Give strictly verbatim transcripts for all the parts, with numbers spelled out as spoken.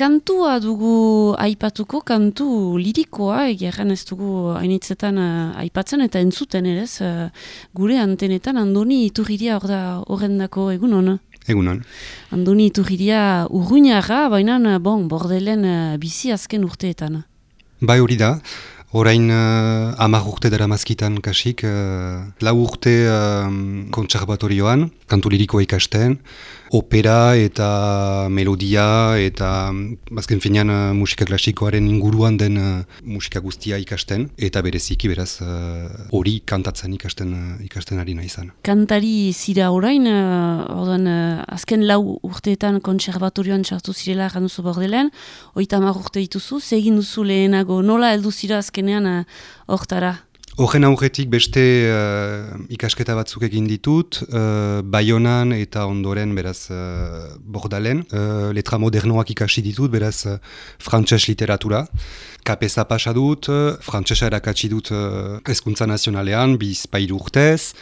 kantua dugu aipatuko, kantu lirikoa, egeran ez dugu hainitzetan uh, aipatzen eta entzuten ere, uh, gure antenetan Andoni Iturriria hor da horrendako egun hona. Egunon. Andoni Iturriria urruñarra, baina bon, Bordelen uh, bizi azken urteetan. Bai hori da, orain uh, hamar urte dara mazkitan kasik, uh, lau urte uh, kontserbatorioan, kantu lirikoa ikasten, opera eta melodia eta azken finean uh, musika klasikoaren inguruan den uh, musika guztia ikasten, eta bereziki beraz hori uh, kantatzen ikasten, uh, ikasten ari izan. Kantari zira orain, uh, ordan, uh, azken lau urteetan kontserbatorioan txartu zirela januzu Bordelen, oita hamar urte dituzu, zegin duzu lehenago, nola heldu zira azkenean hortara? Uh, Horren aurretik beste uh, ikasketa batzuk egin ditut, uh, Baionan eta ondoren beraz uh, Bordalen. Uh, letra modernoak ikasi ditut, beraz uh, frantses literatura. Kapesa pasa dut, uh, frantsesa erakatsi dut uh, hezkuntza nazionalean, bizpahiru urtez.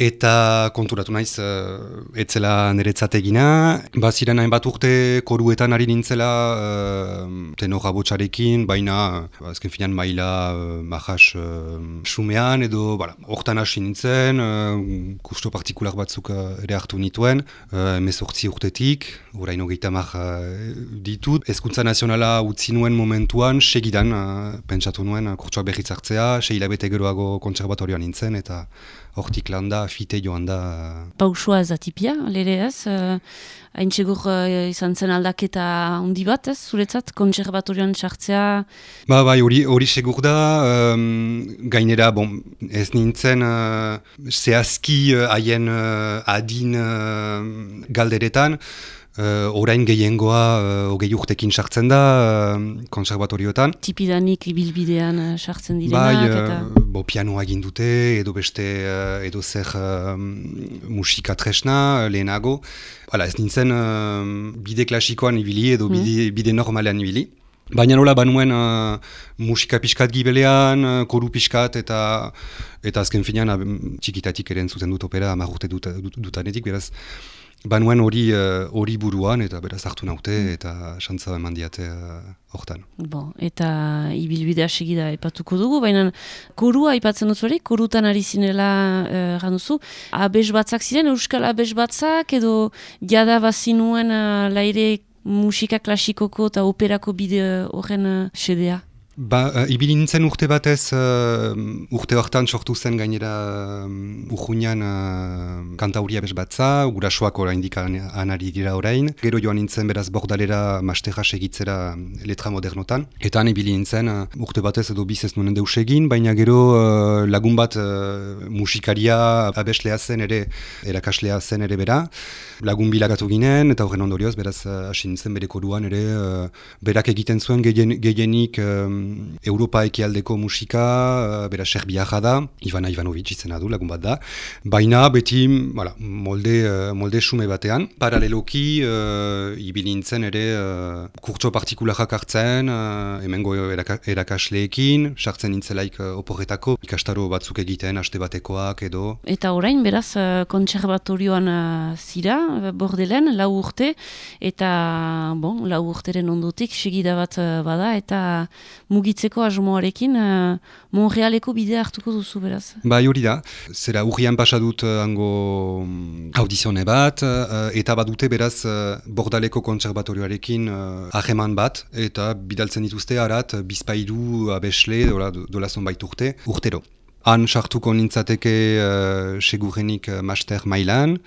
Eta konturatu naiz, uh, etzela niretzat egina. Baziren hainbat urte koruetan ari nintzela uh, tenora botxarekin, baina uh, azken finean maila uh, majas uh, sumean edo hortan hasi nintzen, uh, kusto partikular batzuk uh, ere hartu nituen, uh, emezortzi urtetik, orain hogeita hamar uh, ditut. Hezkuntza nazionala utzi nuen momentuan, segidan, uh, pentsatu nuen, uh, kurtsoak berriz hartzea, sei hilabete geroago kontserbatorioan nintzen, eta hortik landa, fite joan da. Pausua ez atipia, lere ez? Hain txegur uh, izan zen aldaketa handi bat ez, zuretzat, kontserbatorioan txartzea? Ba, bai, hori hori segur da, um, gainera, bon, ez nintzen uh, zehazki haien uh, uh, adin uh, galderetan, Uh, orain gehiengoa uh, ogei urtekin sartzen da uh, konservatorioetan. Tipidanik ibilbidean sartzen uh, direnak? Bai, eta... uh, bo, pianoa egin dute, edo beste, uh, edo zer uh, musika tresna, lehenago. Hala, ez nintzen uh, bide klasikoan ibili, edo bide, mm. bide normalean ibili. Baina nola banuen uh, musika pixkat gibelean, uh, koru pixkat, eta eta azken finean uh, txikitatik eren zuten dut opera, hamar urte dut, dut, dutanetik, beraz. Banuen hori hori uh, buruan, eta beraz hartu naute, eta xantza eman diate hortan. Uh, bon, eta ibilbidea segida epatuko dugu, baina korua aipatzen duzu hori, korutan ari zinela uh, ganduzu. Abes batzak ziren, euskal abes batzak, edo jada bazinuen uh, laire musika klasikoko eta operako bide horren uh, sedea? Ba, uh, ibili nintzen urte batez, uh, urte hortan sortu zen gainera uh, urruñan uh, kantauri abes batza, gurasoak oraindik anari dira orain. Gero joan nintzen beraz Bordalera masterra segitzera letra modernotan. Eta han ibili nintzen uh, urte batez edo biz ez nuen deus egin, baina gero uh, lagun bat uh, musikaria abeslea zen ere, erakaslea zen ere bera. Lagun bilagatu ginen, eta horren ondorioz, beraz hasi uh, nintzen bere koruan ere, uh, berak egiten zuen gehien, gehienik um, Europa ekialdeko musika, uh, bera serbiaja da, Ivana Ivanovic izena du, lagun bat da. Baina beti voilà, molde, uh, molde sume batean. Paraleloki, uh, ibili nintzen ere uh, kurtso partikularak hartzen, uh, hemengo eraka, erakasleekin, sartzen nintzelaik uh, oporretako, ikastaro batzuk egiten, haste batekoak edo. Eta orain, beraz, uh, kontserbatorioan uh, zira, Bordelen, lau urte, eta bon, lau urteren ondotik segida bat uh, bada, eta mugitzeko asmoarekin uh, Montrealeko bidea hartuko duzu, beraz. Bai, hori da. Zera, urrian pasadut uh, hango audizione bat, uh, eta badute beraz uh, Bordaleko kontserbatorioarekin hageman uh, bat, eta bidaltzen dituzte harat, bizpahiru abesle, dola, dola zonbait urte, urtero. Han sartuko nintzateke uh, segurenik uh, master mailan.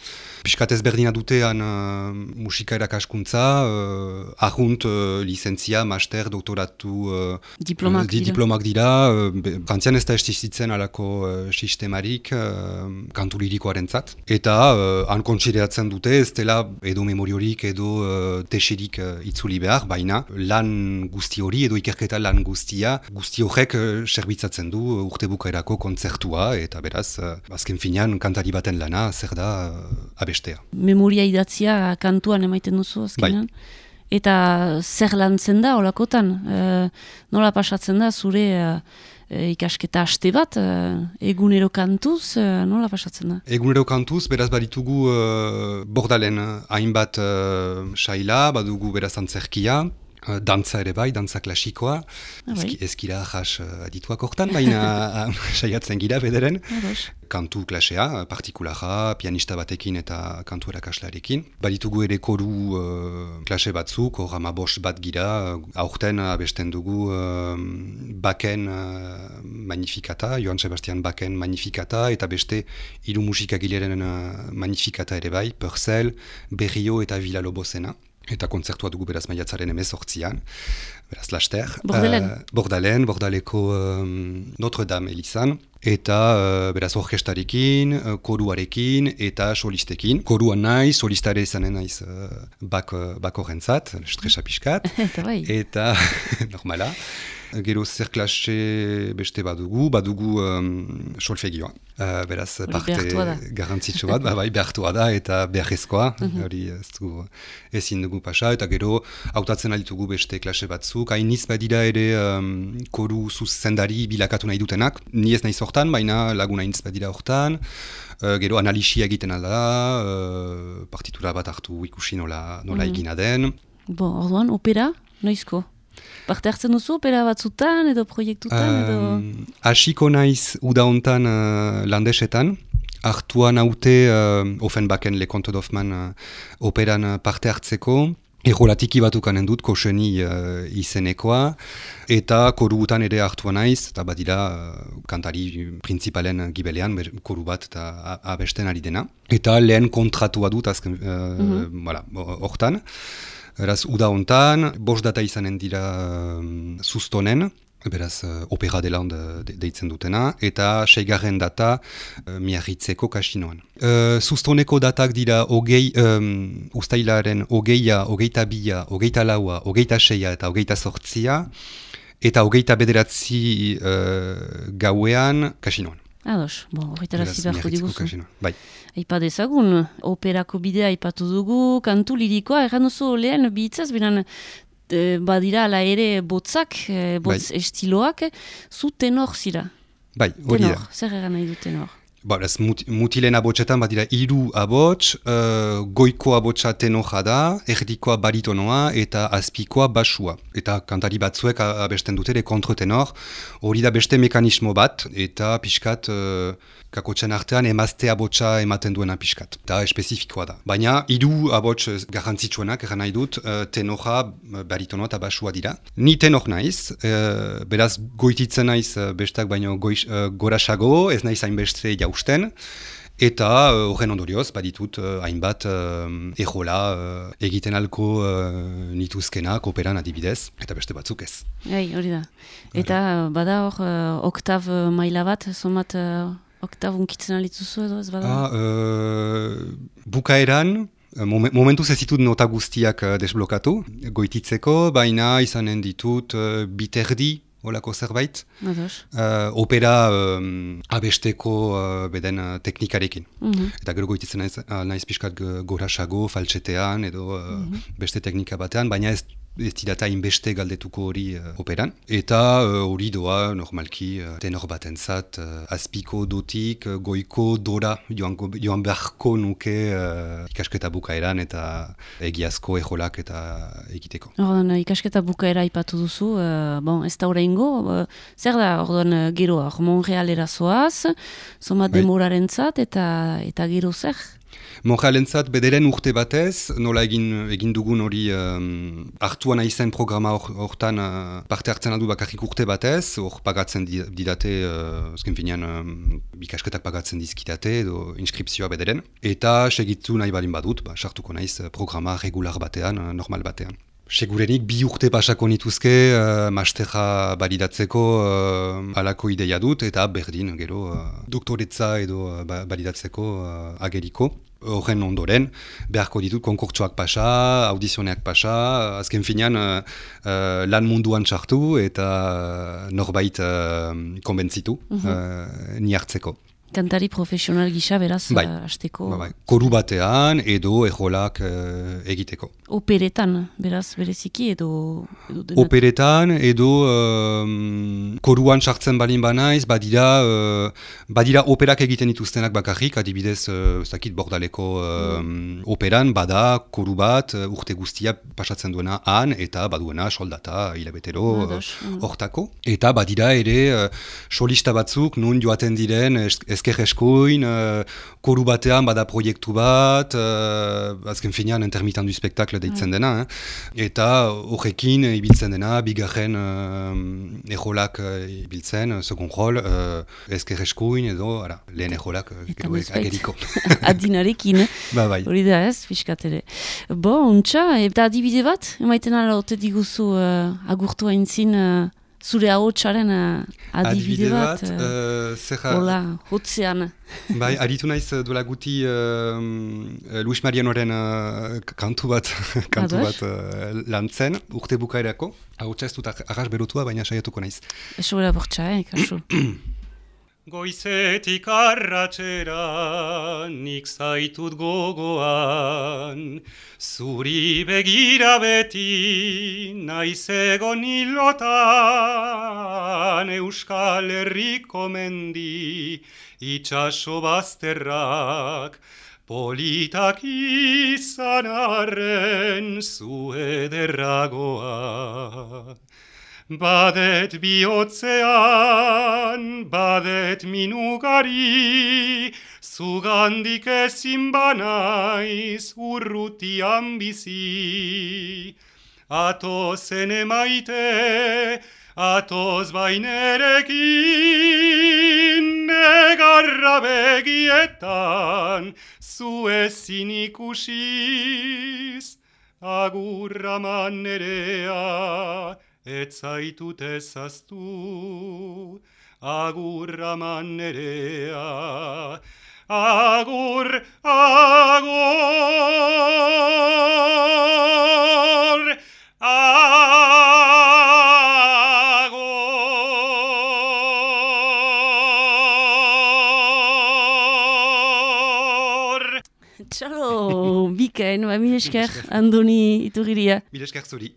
Piskat ezberdina dute han uh, musika erakaskuntza, uh, ahunt uh, lizentzia, master, doktoratu uh, diplomak, uh, di, dira. diplomak dira. Uh, Frantzian ez da estizitzen alako uh, sistemarik uh, kantu lirikoaren zat. Eta uh, han kontsideratzen dute ez dela edo memoriorik edo uh, teserik uh, itzuli behar, baina lan guzti hori edo ikerketa lan guztia, guzti horrek uh, serbitzatzen du uh, urte bukaerako kontzertua, eta beraz, uh, azken finean kantari baten lana zer da uh, abestea. Memoria idatzia kantuan emaiten duzu azkenan? Bai. Eta zer lantzen da olakotan? E, nola pasatzen da zure e, ikasketa aste bat, e, egunero kantuz, e, nola pasatzen da? Egunero kantuz, beraz baditugu e, Bordalen hainbat e, saila, badugu beraz antzerkia, Uh, dantza ere bai, dantza klasikoa, Ah, bai. ezkira jas uh, adituak hortan, baina saiatzen gira bederen. Ah, Kantu klasea, partikulara, pianista batekin eta kantu erakaslarekin. Baditugu ere koru uh, klase batzuk, hor amabost bat gira, aurten abesten dugu uh, Baken uh, Magnificata, Johann Sebastian Baken Magnificata, eta beste hiru musikagileren uh, Magnificata ere bai, Purcell, Berrio eta Villa-Lobosena. Eta kontzertua dugu beraz maiatzaren emezortzian, beraz laster. Bordelen. Uh, Bordalen, Bordaleko um, Notre-Dame elizan. Eta uh, beraz orkestarekin, uh, koruarekin eta solistekin. Koruan naiz, solistare izanen naiz uh, bak, uh, bak horrentzat, stresa pixkat. Eta bai. Eta normala. Gero zer klase beste badugu, badugu um, solfegioa. Uh, beraz, Hori parte garrantzitsu bat, ba, bai, behartua da eta beharrezkoa. Hori ez dugu ezin dugu pasa, eta gero hautatzen alitugu beste klase batzuk. Hainiz badira ere um, koru zuzendari bilakatu nahi dutenak. Ni ez nahi hortan, baina lagun hainiz badira hortan. Uh, gero analisia egiten alda, uh, partitura bat hartu ikusi nola, nola Mm. egina den. Bo, orduan, opera, noizko? Parte hartzen duzu opera batzutan edo proiektutan edo... Um, Hasiko naiz uda hontan uh, landesetan, hartuan haute uh, Offenbachen Le Conte d'Hoffmann uh, operan uh, parte hartzeko, errolatiki batukanen dut, koseni uh, izenekoa, eta koruutan ere hartuan naiz, eta badira uh, kantari principalen gibelean, ber, koru bat eta a- abesten ari dena. Eta lehen kontratua dut, azken, uh, Mhm. voilà, hortan. Beraz, uda hontan, bost data izanen dira um, sustonen, beraz, uh, opera de land de, deitzen dutena, eta seigarren data uh, miarritzeko kasinoan. Uh, sustoneko datak dira hogei, um, ustailaren hogeia, hogeita bia, hogeita laua, hogeita seia eta hogeita sortzia, eta hogeita bederatzi uh, gauean kasinoan. Ados, bo, horretara Beraz, zibarko Miarritzeko diguzu. kasinoan. Bai. Aipa dezagun, operako bidea aipatu dugu, kantu lirikoa, erran duzu lehen bihitzaz, binan e, badira ala ere botzak, e, botz estiloak, zu tenor zira. Bai, hori da. Tenor, zer eran nahi du tenor? Ba, ez mut, mutilen abotsetan badira hiru abots, uh, goiko abotsa tenoja da, erdikoa baritonoa eta azpikoa basua. Eta kantari batzuek a- abesten dute ere kontratenor, hori da beste mekanismo bat, eta pixkat uh, kakotxen artean emazte abotsa ematen duena pixkat. Eta espezifikoa da. Baina hiru abots garrantzitsuenak eran nahi dut, uh, tenoja, baritonoa eta basua dira. Ni tenor naiz, uh, beraz goititzen naiz uh, bestak baino goiz, uh, gorasago, ez naiz hainbeste jausten, eta uh, horren ondorioz baditut uh, hainbat uh, ejola uh, egiten alko uh, nituzkenak operan adibidez, eta beste batzuk ez. Gai, hori da. Eta bada hor, uh, oktav uh, maila bat, somat uh, oktav unkitzen alitzuzu edo ez bada? Ah, uh, bukaeran, Momen, momentuz ez ditut nota guztiak uh, desblokatu, goititzeko, baina izanen ditut uh, biterdi, olako zerbait, Ados. uh, opera um, abesteko uh, beden uh, teknikarekin. Mhm. Eta gero goititzen naiz, uh, naiz pixkat g- gorasago, faltsetean edo uh, beste teknika batean, baina ez ez didata inbeste galdetuko hori uh, operan. Eta uh, hori doa normalki uh, tenor batentzat uh, azpiko dotik, uh, goiko dora joango, joan beharko nuke uh, ikasketa bukaeran eta egiazko ejolak eta egiteko. Orduan, ikasketa bukaera aipatu duzu, uh, bon, ez da oraingo, uh, zer da, orduan, uh, gero, hor Montrealera zoaz, somat Bai. demorarentzat eta eta gero zer? Montrealentzat bederen urte batez, nola egin, egin dugun hori um, hartuan aizen programa hortan uh, parte hartzen aldu bakarrik urte batez, hor pagatzen di- didate, uh, azken finean um, ikasketak pagatzen dizkitate edo inskripzioa bederen, eta segitu nahi balin badut, ba, sartuko naiz uh, programa regular batean, uh, normal batean. Segurenik bi urte pasako nituzke uh, masterra balidatzeko uh, alako ideia dut, eta berdin gero uh, doktoretza edo uh, ba- balidatzeko uh, ageriko. Horren ondoren, beharko ditut konkurtsoak pasa, audizioneak pasa, azken finean uh, uh, lan munduan sartu eta uh, norbait uh, konbentzitu uh, ni hartzeko. Kantari profesional gisa, beraz, bai. uh, hasteko. Ba, bai. Koru batean edo ejolak uh, egiteko. Operetan, beraz, bereziki, edo... edo denak. Operetan edo um, koruan sartzen balin banaiz, badira, uh, badira operak egiten dituztenak bakarrik, adibidez, uh, zakit bordaleko um, mm. operan, bada koru bat, uh, urte guztia pasatzen duena han, eta baduena soldata hilabetero hortako. Uh, mm. Eta badira ere, uh, solista batzuk, nun joaten diren, ezker eskuin, uh, koru batean bada proiektu bat, uh, azken finean intermitent du spektakle deitzen mm. dena, eh? Eta horrekin ibiltzen dena, bigarren uh, ejolak uh, ibiltzen, second rol, uh, ezker eskuin edo, ara, lehen ejolak uh, ageriko. Adinarekin, ba, bai. Hori da ez, fiskatere. Bo, untxa, eta adibide bat, emaiten ala ote diguzu uh, agurtu haintzin, uh, zure ahotsaren uh, adibide, adibide bat, bat uh, zerra... Hola, hotzean. Bai, aritu naiz duela guti uh, Luis Marianoren uh, kantu bat, kantu bat uh, lantzen, urte bukaerako. Ahotsa ez dut arras berotua, baina saiatuko naiz. Eso bera bortxa, eh, kaso. Goizetik arratxera nik zaitut gogoan, zuri begira beti naiz egon hilotan, Euskal Herriko mendi itxaso bazterrak, politak izan arren zu ederragoa. Badet bihotzean, badet minugari, zugandik ezin banaiz urrutian bizi. Atozen emaite, atoz bainerekin, negarra begietan, zu ezin ikusiz, agurra manerea, ez zaitut ezaztu, agurra manerea, agur, agur, agur. Txalo, bikain, ba, mil esker, Andoni Iturriria. Mil esker zuri.